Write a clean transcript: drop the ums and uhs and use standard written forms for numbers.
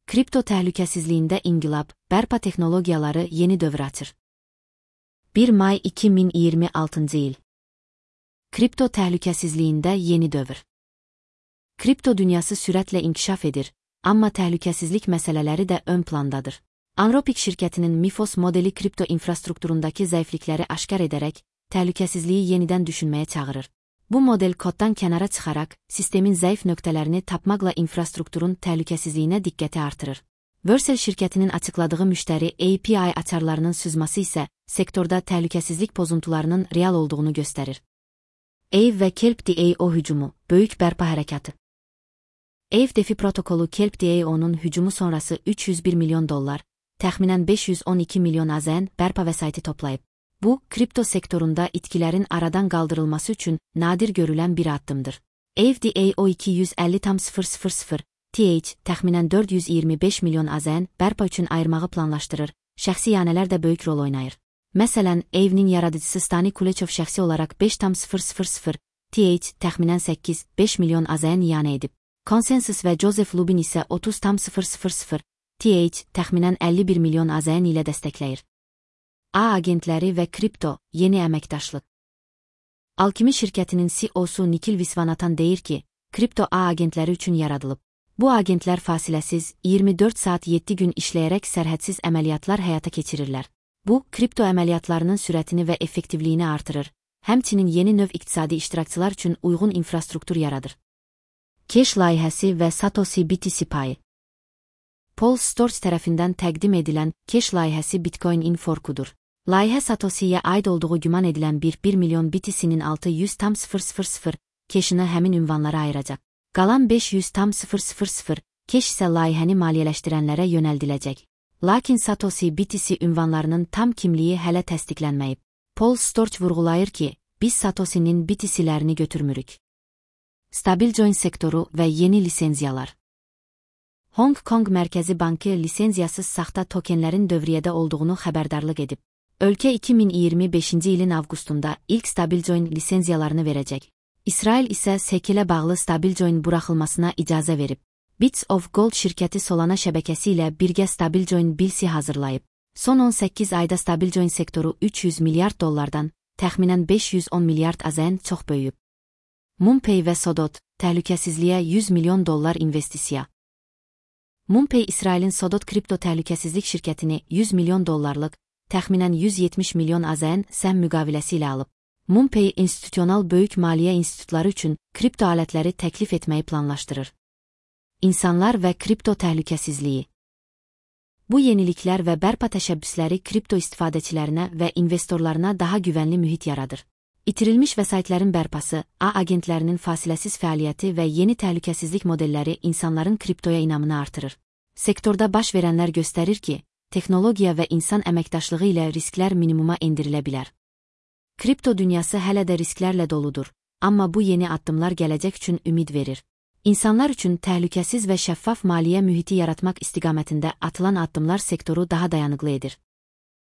Kripto təhlükəsizliyində inqilab, bərpa texnologiyaları yeni dövr açır. 1 may 2026 il. Kripto təhlükəsizliyində yeni dövr. Kripto dünyası sürətlə inkişaf edir, amma təhlükəsizlik məsələləri də ön plandadır. Anthropic şirkətinin Mifos modeli kripto infrastrukturundakı zəiflikləri aşkar edərək, təhlükəsizliyi yenidən düşünməyə çağırır. Bu model koddan kənara çıxaraq, sistemin zəif nöqtələrini tapmaqla infrastrukturun təhlükəsizliyinə diqqəti artırır. Vercel şirkətinin açıqladığı müştəri API açarlarının sızması isə, sektorda təhlükəsizlik pozuntularının real olduğunu göstərir. Aave və Kelp.io hücumu, böyük bərpa hərəkatı. Aave DeFi protokolu Kelp.io'nun hücumu sonrası $301 milyon, təxminən 512 milyon AZN bərpa vəsaiti toplayıb. Bu, kripto sektorunda itkilərin aradan qaldırılması üçün nadir görülən bir addımdır. Aave.io 250,000 TH təxminən 425 milyon AZN bərpa üçün ayırmağı planlaşdırır, şəxsi iyanələr də böyük rol oynayır. Məsələn, Aave'nin yaradıcısı Stani Kulechov şəxsi olaraq 5,000 TH təxminən 8-5 milyon AZN iyanə edib. Consensus və Joseph Lubin isə 30,000 TH təxminən 51 milyon AZN ilə dəstəkləyir. A agentləri və kripto, yeni əməkdaşlıq. Alchemy şirkətinin CEO-su Nikhil Viswanathan deyir ki, kripto A agentləri üçün yaradılıb. Bu agentlər fasiləsiz, 24 saat 7 gün işləyərək sərhədsiz əməliyyatlar həyata keçirirlər. Bu, kripto əməliyyatlarının sürətini və effektivliyini artırır, həmçinin yeni növ iqtisadi iştirakçılar üçün uyğun infrastruktur yaradır. Cash layihəsi və Satoshi BTC payı. Paul Storch tərəfindən təqdim edilən Cash layihəsi Bitcoin-in forkudur. Layihə Satoshi'yə aid olduğu güman edilən 1 milyon BTC-nin 600,000 Cash-ını həmin ünvanlara ayıracaq. Qalan 500,000 Cash isə layihəni maliyyələşdirənlərə yönəldiləcək. Lakin Satoshi BTC ünvanlarının tam kimliyi hələ təsdiqlənməyib. Paul Storch vurğulayır ki, biz Satoshi'nin BTC-lərini götürmürük. Stablecoin sektoru və yeni lisenziyalar. Hong Kong Mərkəzi Bankı lisenziyasız saxta tokenlərin dövriyyədə olduğunu xəbərdarlıq edib. Ölkə 2025-ci ilin avqustunda ilk Stablecoin lisenziyalarını verəcək. İsrail isə SEC-ilə bağlı Stablecoin buraxılmasına icazə verib. Bits of Gold şirkəti Solana şəbəkəsi ilə birgə Stablecoin BLC hazırlayıb. Son 18 ayda Stablecoin sektoru $300 milyard, təxminən 510 milyard AZN çox böyüyüb. MoonPay və Sodot, təhlükəsizliyə $100 milyon investisiya. MoonPay İsrailin Sodot kripto təhlükəsizlik şirkətini $100 milyon, təxminən 170 milyon AZN səhm müqaviləsi ilə alıb. MoonPay institusional böyük maliyyə institutları üçün kripto alətləri təklif etməyi planlaşdırır. İnsanlar və kripto təhlükəsizliyi. Bu yeniliklər və bərpa təşəbbüsləri kripto istifadəçilərinə və investorlarına daha güvənli mühit yaradır. İtirilmiş vəsaitlərin bərpası, A agentlərinin fasiləsiz fəaliyyəti və yeni təhlükəsizlik modelləri insanların kriptoya inamını artırır. Sektorda baş verənlər göstərir ki, texnologiya və insan əməkdaşlığı ilə risklər minimuma endirilə bilər. Kripto dünyası hələ də risklərlə doludur, amma bu yeni addımlar gələcək üçün ümid verir. İnsanlar üçün təhlükəsiz və şəffaf maliyyə mühiti yaratmaq istiqamətində atılan addımlar sektoru daha dayanıqlı edir.